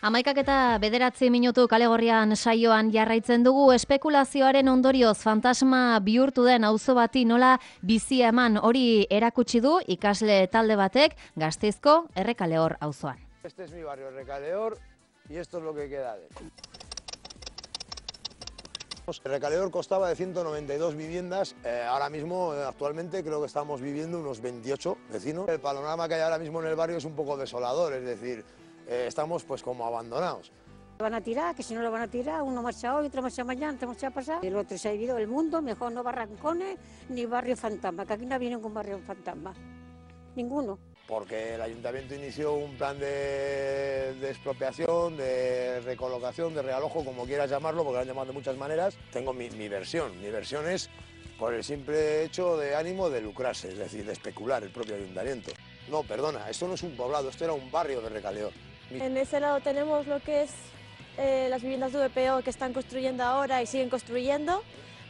11:09 kale gorrian saioan jarraitzen dugu. Espekulazioaren ondorioz fantasma bihurtu den auzo bati nola bizia eman hori erakutsi du ikasle talde batek Gasteizko Errekaleor auzoan. Este es mi barrio, Errekaleor, y esto es lo que queda de él. Errekaleor constaba de 192 viviendas, ahora mismo, actualmente, creo que estamos viviendo unos 28 vecinos. El panorama que hay ahora mismo en el barrio es un poco desolador, es decir, estamos pues como abandonados. Van a tirar, que si no lo van a tirar, uno marcha hoy, otro marcha mañana, otro marcha pasado. El otro se ha vivido el mundo, mejor no barrancones ni barrio fantasma, que aquí no viene ningún barrio fantasma, ninguno. Porque el ayuntamiento inició un plan de expropiación, de recolocación, de realojo, como quieras llamarlo, porque lo han llamado de muchas maneras. Tengo mi versión. Mi versión es por el simple hecho de ánimo de lucrarse, es decir, de especular el propio ayuntamiento. No, perdona, esto no es un poblado, esto era un barrio de Errekaleor. En ese lado tenemos lo que es las viviendas de VPO que están construyendo ahora y siguen construyendo.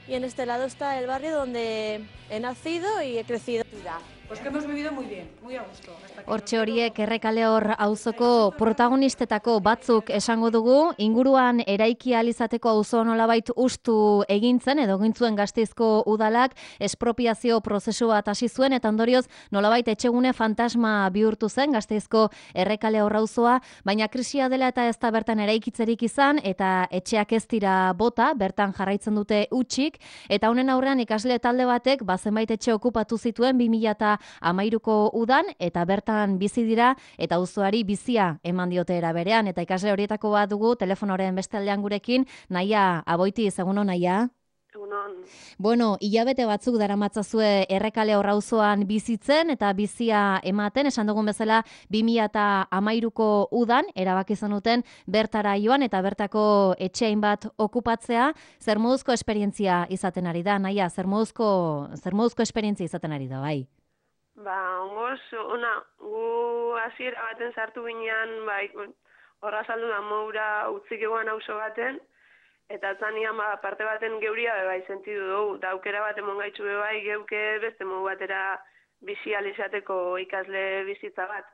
Y en este lado está el barrio donde he nacido y he crecido. Pues que hemos vivido muy bien, muy a gusto. Hortxe horiek Errekaleor auzoko protagonistetako batzuk esango dugu, inguruan eraiki ahal izateko auzo nolabait hustu egintzen edo egin zuen Gasteizko udalak espropiazio prozesu bat hasi zuen eta ondorioz nolabait etxegune fantasma bihurtu zen Gasteizko Errekaleor auzoa, baina krisia dela eta ez da bertan eraikitzerik izan eta etxeak ez dira bota, bertan jarraitzen dute hutsik eta honen aurrean ikasle talde batek zenbait etxe okupatu zituen 2013ko udan eta bertan bizi dira eta auzoari bizia eman diote era berean eta ikasle horietako bat dugu telefonoren beste aldean gurekin, Naia Aboiti, egunon Naia. Egunon. Bueno, hilabete batzuk daramatzazue Errekaleor auzoan bizitzen eta bizia ematen, esan dugun bezala 2013ko udan erabaki zenuten bertara joan eta bertako etxein bat okupatzea. Zer moduzko esperientzia izaten ari da, Naia? Zer moduzko esperientzia izaten ari da, bai? Ongoz, gu hasiera baten sartu ginean, horra saldu da moura utzik eguan auzo baten, eta zanian parte baten geuria bai sentidu dugu, da aukera bat emon gaitzu bai geuke beste modu batera bizializateko ikasle bizitza bat.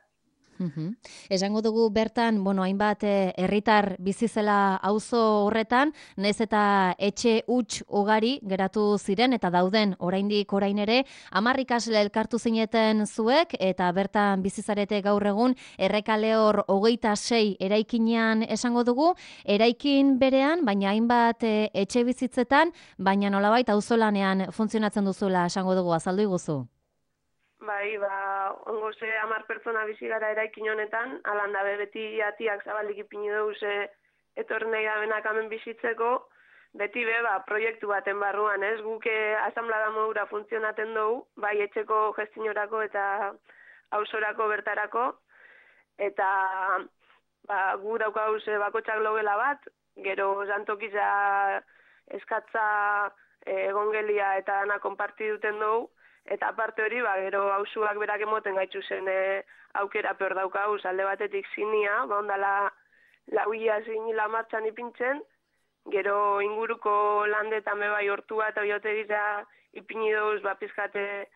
Esango dugu bertan, hainbat herritar bizi zela auzo horretan, nahiz eta etxe huts ugari geratu ziren eta dauden oraindik orain ere, 10 ikasle elkartu zineten zuek eta bertan bizi zarete gaur egun Errekaleor 26 eraikinean esango dugu, eraikin berean, baina hainbat etxe bizitzetan, baina nolabait auzolanean funtzionatzen duzuela esango dugu, azaldu iguzu. Bai, ongo 10 pertsona bizi gara eraikin honetan, alan dabe beti atiak zabalik ipini dugu etorri nahi dabenak hemen bizitzeko, beti proiektu baten barruan, ez? Guke asamblada modura funtzionaten dugu, bai etxeko gestionorako eta auzorako bertarako, eta gu daukagu bakotxak logela bat, gero jantokiza eskatza egongelia eta dana konparti duten dugu, eta aparte hori, gero auzuak berak emoten gaitzu zen aukera peor daukagu, alde batetik zinia, ondala lauia zinila martxan ipintzen, gero inguruko landetan bai hortua eta oiotegiza ipini duz, pizkate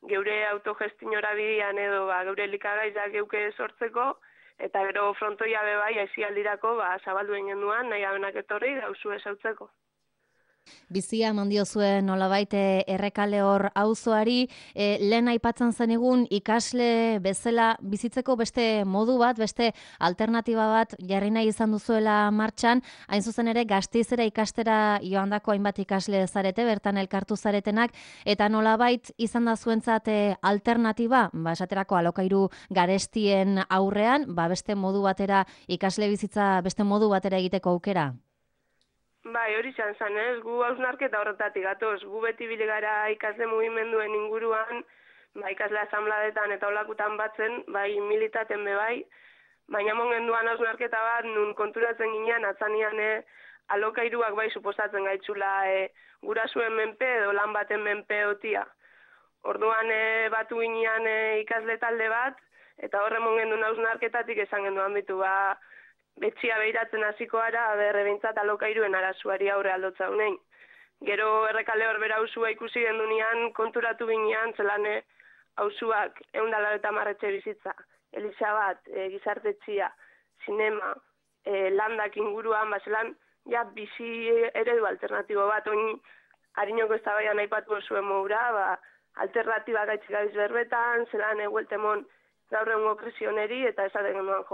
geure autogestinora bidean edo geure likagaizak geuke sortzeko, eta gero frontoia bai aizialdirako zabaldu egin duan, nahi abenak etorri, auzu esautzeko. Bizia eman zuen nolabait Errekaleor auzoari, lehen aipatzen zenigun ikasle bezala bizitzeko beste modu bat, beste alternatiba bat jarri nahi izan duzuela martxan, hain zuzen ere Gasteizera ikastera joandako hainbat ikasle zarete, bertan elkartu zaretenak, eta nolabait izan da zuentzat alternatiba, esaterako alokairu garestien aurrean, beste modu batera ikasle bizitza beste modu batera egiteko aukera? Bai, hori izan ez, gu hausnarketa horretatik gatoz, gu beti bile gara ikasle mugimenduen inguruan, ikasle asambladetan eta olakutan batzen, militaten bai, baina mongenduan hausnarketa bat, nun konturatzen ginean, atzanian alokairuak suposatzen gaitzula gurasuen menpe edo lan baten menpe otia. Orduan batu ginean ikasle talde bat, eta horre mongendun hausnarketatik esan genduan bitu betxia behiratzen hasiko gara, berrebintzat alokairuen arazuari aurre aldotza honein. Gero Errekaleor bera auzua ikusi gendunean, konturatu ginean, zelan auzuak 190 etxe bizitza, eliza bat, gizartetxia, zinema, landak inguruan, bazelan, ja, bizi eredu alternatibo bat, oin harinoko eztabaidan aipatu zuen moura, alternatiba gaitzik gabiz berbetan, zelan egueltemon gaur egungo krisioneri, eta esaten genuen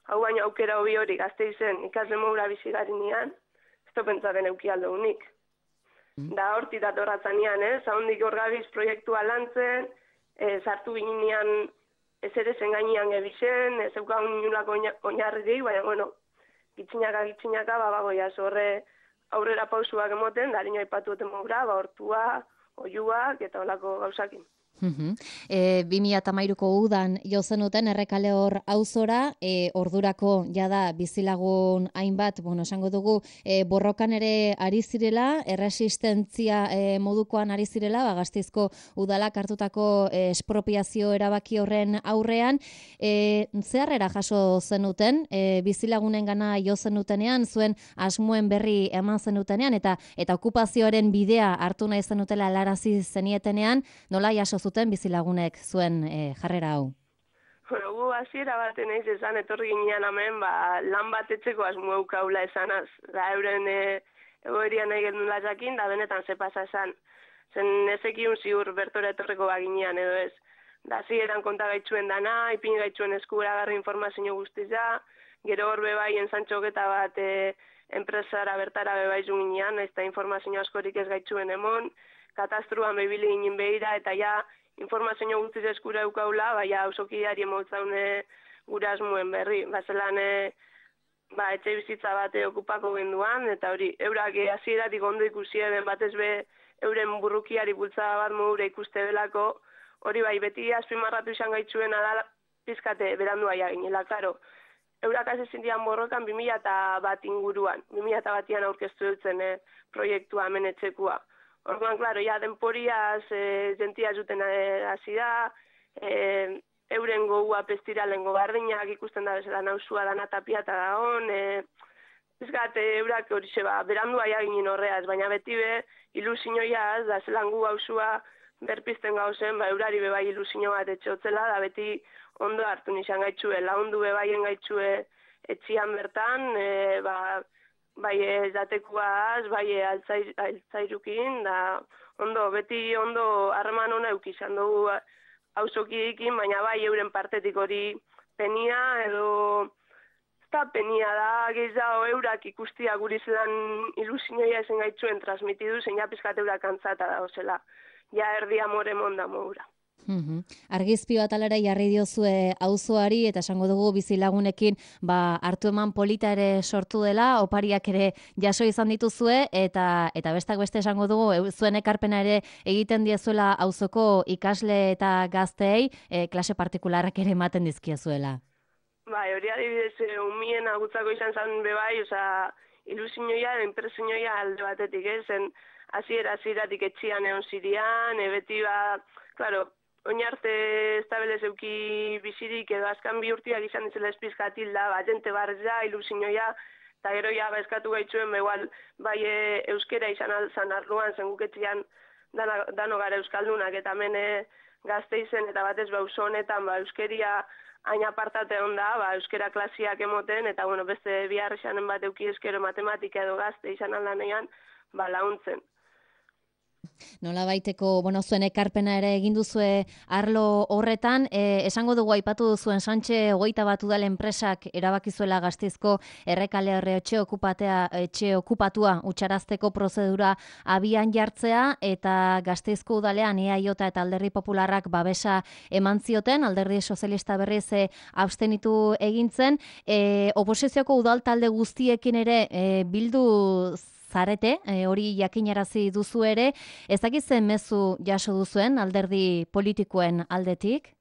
hau baino aukera hobi hori Gasteizen ikasle moura bizi garinean, ez da pentsaten euki aldo unik. Da horti datorratzanean, haundik hor gabiz proiektua lantzen, sartu ginean ez ere zen gainean gebisen, ez eukagun inulako oinarririk, baina, bueno, gitzinaka, bagoia, zorre aurrera pausuak emoten, da harino aipatu eten moura, hortua, oiuak, eta olako gauzakin. 2013ko udan jo zenuten Errekale hor auzora, ordurako jada bizilagun hainbat, esango dugu, borrokan ere ari zirela, erresistentzia modukoan ari zirela, Gasteizko udalak hartutako espropiazio erabaki horren aurrean, zeharrera jaso zenuten, bizilagunen gana jo zenutenean, zuen asmoen berri eman zenutenean, eta okupazioaren bidea hartu nahi zenutela helarazi zenietenean, nola jaso zuten bizilagunek zuen jarrera hau? Bueno, gu hasiera baten eiz esan, etorri ginean hemen, lan bat etxeko asmo eukaula esanaz, da euren egoerian nahi gendula jakin, da benetan ze pasa esan, zen ezekiun ziur bertora etorreko baginean edo ez. Da hasieran konta gaitzuen dana, ipin gaitzuen eskuragarri informazio guztiza, gero hor bebai ensantxoketa bat enpresara bertara bebai ginean, ez da informazio askorik ez gaitzuen emon, katastruan bebili ginen behira, eta ja informazio guztiz eskura eukaula, baina ausokideari emotzaune gura asmuen berri. Bazelan, etxe bizitza bat okupako genduan, eta hori, eurak hasieratik ondo ikusi eben batez be euren burrukiari bultzada bat modura ikuste belako, hori bai, beti azpimarratu izan gaitzuena da pizkate berandua jaginela, karo. Eurak hasi zindian borrokan 2001 inguruan, 2001an aurkeztu dutzen proiektua hemen etxekua. Orduan, klaro, ja, denporiaz, jentia zuten hasi da, euren goua pestiralengo bardinak ikusten da bezala nausua dana tapiata da hon, eurak hori zeba, berandua jaginin horreaz, baina beti be, ilusioiaz, da zelan gu gauzua berpizten gauzen, eurari bebai ilusio bat etxotzela, da beti ondo hartu nizan gaitzue, laundu bebaien gaitzue etxian bertan, bai ezatekoaz, bai altzairukin, da beti ondo harreman hona eukizan dugu auzokidekin, baina bai euren partetik hori penia edo eta penia da gehiago eurak ikustia guri zelan ilusioia esen gaitzuen transmitidu, zein japizkat eurak antzata da, ozela, ja erdi amore monda moura. Argizpi bat alera jarri diozue auzoari eta esango dugu bizilagunekin hartu eman polita ere sortu dela, opariak ere jaso izan dituzue eta bestak beste esango dugu zuen ekarpena ere egiten diezuela auzoko ikasle eta gazteei klase partikularrak ere ematen dizkiezuela. Bai, hori adibidez umien agutzako izan zen bebai, ilusioia, impresioia alde batetik, zen hasieratik etxian egon zirian, beti klaro, oinarte estabelez euki bizirik edo azkan bi urtiak izan ditzela espizkatil da, jente barreza, ilusioia, eta gero ja eskatu gaitzuen, bai euskera izan alzan arloan, zen guketzian dano gara euskaldunak, eta hemen Gasteizen eta batez auzo honetan euskeria hain apartate onda, euskera klasiak emoten, eta beste bihar izanen bat euki eskero matematika edo gazte izan aldanean, launtzen. Nola baiteko, zuen ekarpena ere egin duzue arlo horretan, esango dugu aipatu duzuen Santxe 21 udal enpresak erabakizuela Gasteizko Errekale horre etxe okupatua utxarazteko prozedura abian jartzea, eta Gasteizko udalean EAJ eta Alderdi Popularrak babesa eman zioten, Alderdi Sozialista berriz abstenitu egintzen, oposizioko udal talde guztiekin ere bildu zarete, hori jakinarazi duzu ere, ez dakitzen mezu jaso duzuen alderdi politikoen aldetik?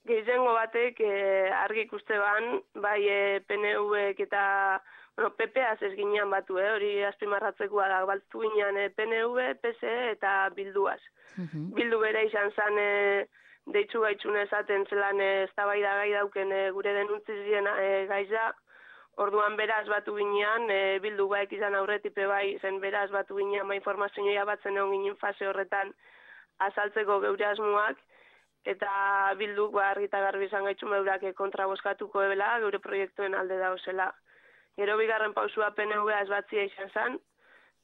Gehiengo batek argi ikuste ban, bai PNV-ek eta PP-az ez ginean batu, hori azpimarratzekoa da, baltu ginean PNV, PSE eta Bilduaz. Bildu bere izan zen deitzu gaitzun esaten zelan eztabaida gai dauken gure denuntzizien gaiza. Orduan beraz batu ginean, Bildu baek izan aurretipe bai, zen beraz batu ginean informazioa batzen egon ginen fase horretan azaltzeko geure asmoak, eta Bilduk argi eta garbi izan gaitxu meurak kontra bozkatuko ebela, geure proiektuen alde dauzela. Gero bigarren pausua PNV ez batzia izan zen,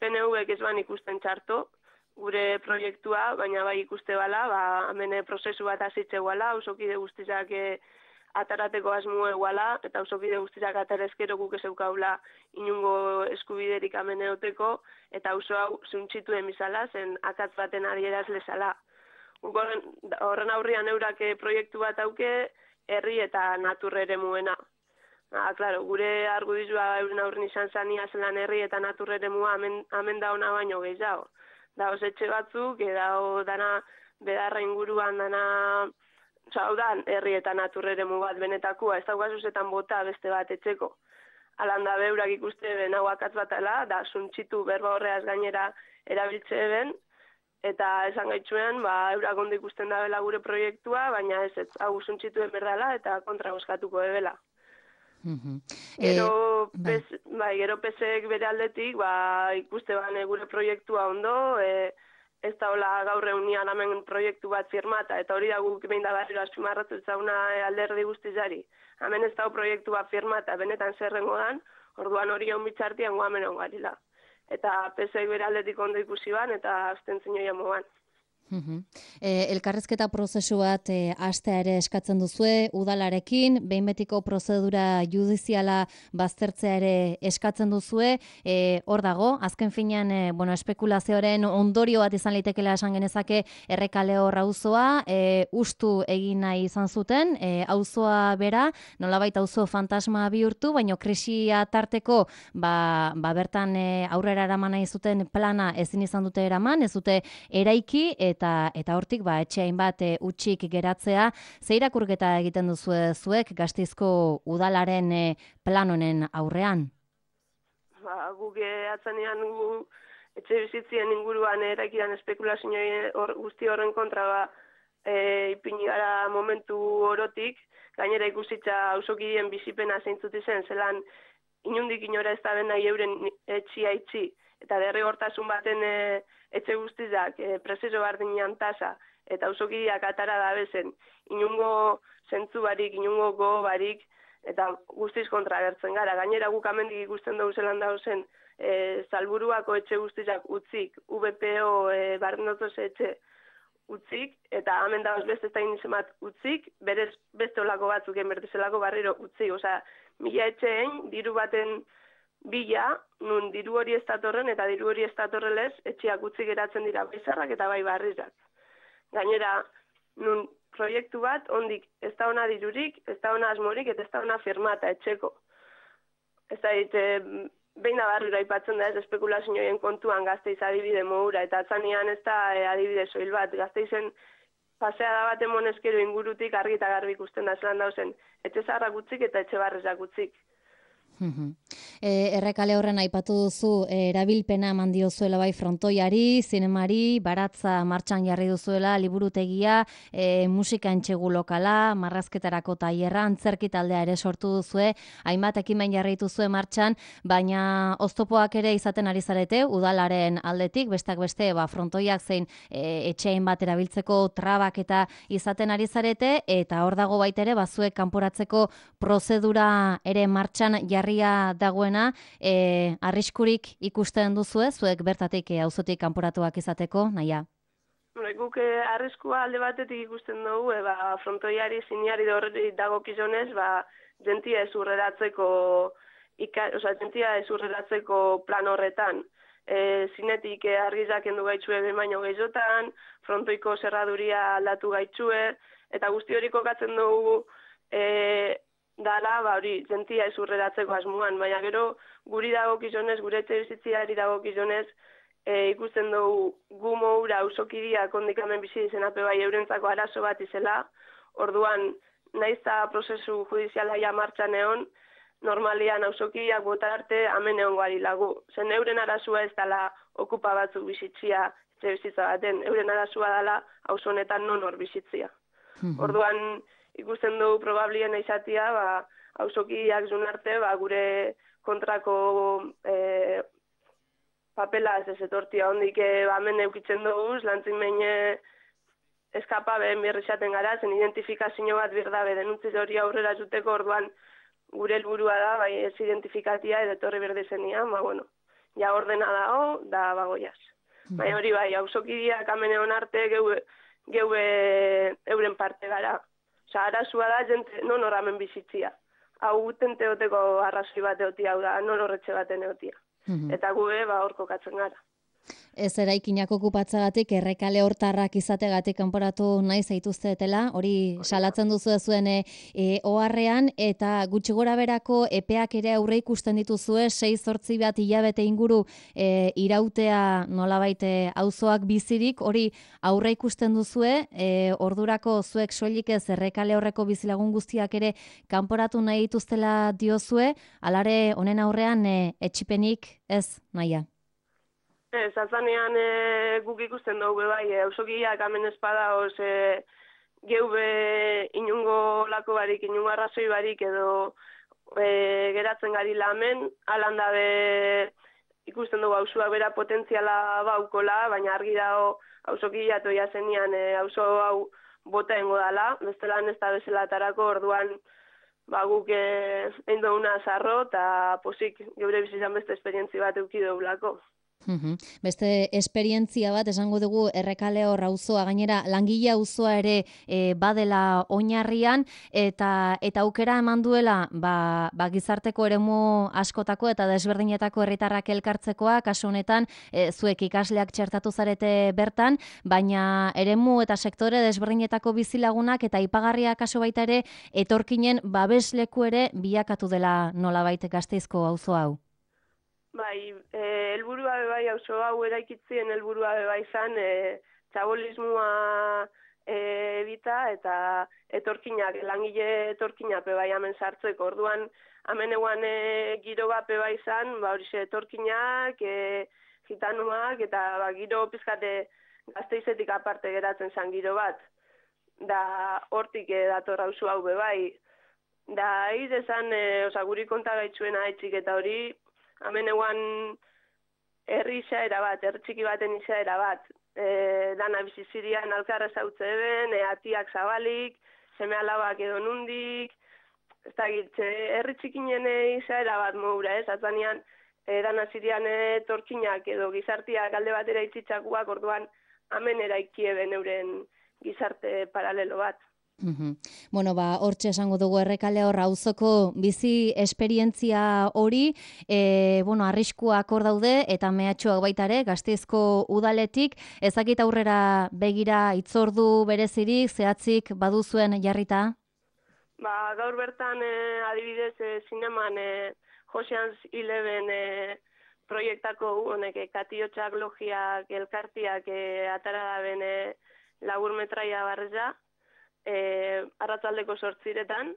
PNV-ek ez ban ikusten txarto, gure proiektua, baina bai ikuste bala, hemen prozesu bat azitze guala, ausokide guztizak atarateko asmo eguala, eta ausokide guztizak atarezkero guk ez eukaula inungo eskubiderik hemen eoteko, eta auzo hau zuntxitu emizala, zen akatz baten adieraz lezala. Horren aurrian eurak proiektu bat auke, herri eta natur eremuena. Claro, gure argudizua euren aurren izan zania zelan herri eta natur eremua hemen da ona baino gehiago. Daoz etxe batzuk, dao dana bedarra inguruan dana, hau da, herri eta natur eremu bat benetakua, ez daugazuzetan bota beste bat etxeko. Alanda beurak ikuste ben hau akatz batela, da zuntxitu berba horreaz gainera erabiltze ben, eta esan gaitxuean, eurak ondo ikusten dabela gure proiektua, baina ez hau zuntxitu berdala eta kontra bozkatuko ebela. Gero PSek bere aldetik, ikuste bane gure proiektua ondo, ez da hola gaur eunian hemen proiektu bat firmata, eta hori da guk behin da barriro azpimarratu zauna alderdi guztizari. Hemen ez da proiektu bat firmata, benetan zerrengo dan, orduan hori hon bitxartian guamen ongarila. Eta PSek bere aldetik ondo ikusi ban, eta abstentzio jamoan. Elkarrizketa prozesu bat hastea ere eskatzen duzue, udalarekin, behin betiko prozedura judiziala baztertzea ere eskatzen duzue, hor dago, azken finean espekulazioaren ondorio bat izan litekela esan genezake Errekaleo auzoa, ustu egin nahi izan zuten, auzoa bera, nolabait auzo fantasma bihurtu, baina krisia tarteko bertan aurrera eraman nahi zuten plana ezin izan dute eraman, ez dute eraiki, eta hortik etxeain bat utxik geratzea, ze irakurketa egiten duzu zuek Gasteizko udalaren plan honen aurrean? Guk atzanean etxe bizitzien inguruan eraikidan espekulazio guzti horren kontra ipini gara momentu orotik, gainera ikusitza auzokideen bizipena zeintzut izen, zelan inundik inora ez da bena euren etxia itxi, eta derrigortasun baten etxe guztizak prezeso bardinean tasa, eta auzokideak atara da bezen, inungo zentzu barik, inungo go barik, eta guztiz kontra gertzen gara. Gainera guk amendik ikusten dugu zelan dauzen Salburuako etxe guztizak utzik, VPO barnotoz etxe utzik, eta hemen dauz beste ez da inizemat utzik, berez beste olako batzuk enbertezelako barriro utzik. Osea, 1000 etxeen diru baten bila, nun diru hori ez datorren eta diru hori ez datorrelez, etxeak utzi geratzen dira baizarrak eta bai barrizak. Gainera, nun proiektu bat, ondik ez da ona dirurik, ez da ona asmorik, eta ez da ona firmata etxeko. Ez da, behin da barrira aipatzen da ez espekulazioen kontuan Gasteiz adibide modura, eta atzanean ez da adibide soil bat. Gasteizen paseada bat emonezkero ingurutik argi eta garbi ikusten da zelan dauzen, etxe zaharrak utzik eta etxe barrizak utzik. Errekale horren aipatu duzu erabilpena eman diozuela bai frontoiari, zinemari, baratza martxan jarri duzuela, liburutegia, musika entxegu lokala, marrazketarako tailerra, antzerki taldea ere sortu duzue, hainbat ekimen jarri dituzue martxan, baina oztopoak ere izaten ari zarete, udalaren aldetik, besteak beste, frontoiak zein etxein bat erabiltzeko trabak eta izaten ari zarete, eta hor dago baita ere, bazuek kanporatzeko prozedura ere martxan jarri dagoena, arriskurik ikusten duzue, zuek bertatik auzotik kanporatuak izateko, naia? Guk arriskua alde batetik ikusten dugu, frontoiari, ziniari dagokizonez, jentia ezurreratzeko plan horretan. Zinetik argizak endu gaitxue baino gehizotan, frontoiko zerraduria aldatu gaitxue, eta guzti hori kokatzen dugu dala, hori, jentia ezurreratzeko asmoan, baina gero guri dagokizonez, gure etxe bizitziari dagokizonez, ikusten dugu gu moura auzokideak ondikamen bizi izenape bai eurentzako arazo bat izela, orduan naizta prozesu judiziala ja martxan egon, normalian auzokideak bota arte hemen egon gari lagu. Zen euren arazua ez dela okupa batzuk bizitzia etxe bizitza baten, euren arazua dela auzo honetan non hor bizitzia. Orduan ikusten dugu probablien izatea, auzokideak zun arte, gure kontrako papela ez etortia hondik hemen eukitzen dugu, lantzin behin eskapabe mirrizaten gara, zen identifikazio bat birdabe denuntziz hori aurrera zuteko orduan gure helburua da, bai ez identifikatia edo etorri berdezenian, bueno, ja ordena dago, da bagoiaz. Bai hori bai, auzokideak hemen egon arte geue euren parte gara. Osa, arazua da, jente non horramen bizitzia. Hau tente hoteko arrazoi bat egotia, hau da, non horretxe baten egotia. Eta gue, hor kokatzen gara. Ez eraikinak okupatzagatik, errekale hortarrak izategatik kanporatu nahi zaituztetela, hori salatzen duzu zuen oharrean, eta gutxi gora berako epeak ere aurre ikusten dituzue, 6-8 bat hilabete inguru irautea nolabait auzoak bizirik, hori aurre ikusten duzue, ordurako zuek soilik ez errekale horreko bizilagun guztiak ere kanporatu nahi dituztela diozue, alare honen aurrean etxipenik ez naia. Ez, atzanean guk ikusten dugu bai, auzokideak hemen espada geube inungo lako barik, inungo arrazoi barik edo geratzen gari lamen, alan dabe ikusten dugu auzoak bera potentziala baukola, baina argi dago auzokidea toia zenian auzo hau bota engo dala, bestelan ez da bezalatarako orduan guk egin duguna zarro eta posik geure bizitzan beste esperientzi bat eduki dugulako. Beste esperientzia bat esango dugu errekale hor auzoa, gainera langile auzoa ere badela oinarrian eta aukera eman duela gizarteko eremu askotako eta desberdinetako herritarrak elkartzekoa, kasu honetan zuek ikasleak txertatu zarete bertan, baina eremu eta sektore desberdinetako bizilagunak eta aipagarria kasu baita ere etorkinen babesleku ere bilakatu dela nolabait Gasteizko auzo hau. Bai, helburua bai auzo hau eraikitzien helburua bai izan txabolismoa ebita eta etorkinak, langile etorkinak bai hemen sartzeko. Orduan hemen eguan giro bat bai izan, horixe etorkinak, gitanuak eta giro pizkate Gasteizetik aparte geratzen zen giro bat. Da hortik dator auzo hau bai. Da izan guri kontagaitzuena etxik eta hori hemen eguan herri izaera bat, herri txiki baten izaera bat. Dana bizizirian alkarra zautze eben, atiak zabalik, seme alabak edo nundik, ez da gitze, herri txikinen izaera bat moura, ez? Atzanean, dana zirian torkinak edo gizartiak alde batera itzitzakuak, orduan hemen eraiki eben euren gizarte paralelo bat. Bueno, hortxe esango dugu errekale hor auzoko bizi esperientzia hori, arriskuak hor daude eta mehatxuak baita ere Gasteizko udaletik, ezakit aurrera begira itzordu berezirik, zehatzik baduzuen jarrita? Gaur bertan adibidez zineman Ocean's 11 proiektako honek katiotxak, logiak, elkartiak atara daben laburmetraia barreza, arratzaldeko 8:00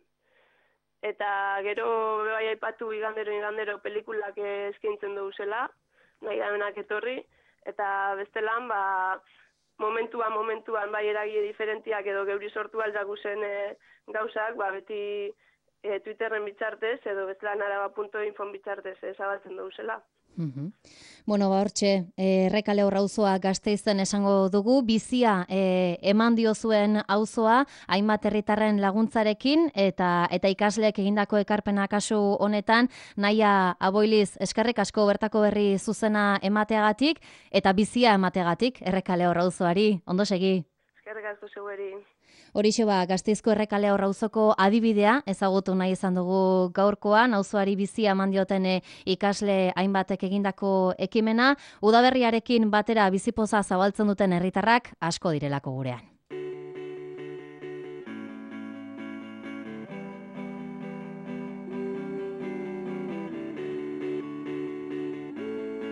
eta gero bai aipatu igandero pelikulak eskaintzen duguzela, nahi damenak etorri, eta bestelan momentuan bai eragile diferentiak edo geuri sortu aldaguzen gauzak, beti Twitterren bitzartez edo bestelan araba.info bitzartez zabaltzen duguzela. Bueno, hortxe, errekale hor auzoa Gasteizen esango dugu, bizia eman diozuen auzoa, hainbat herritarren laguntzarekin, eta ikasleek egindako ekarpena kasu honetan, Naia Aboiliz, eskerrik asko bertako berri zuzena emateagatik, eta bizia emateagatik, errekale hor auzoari, ondo segi. Eskerrik asko zeueri. Horixe Gasteizko errekale hor auzoko adibidea ezagutu nahi izan dugu gaurkoan, auzoari bizia eman dioten ikasle hainbatek egindako ekimena, udaberriarekin batera bizipoza zabaltzen duten herritarrak asko direlako gurean.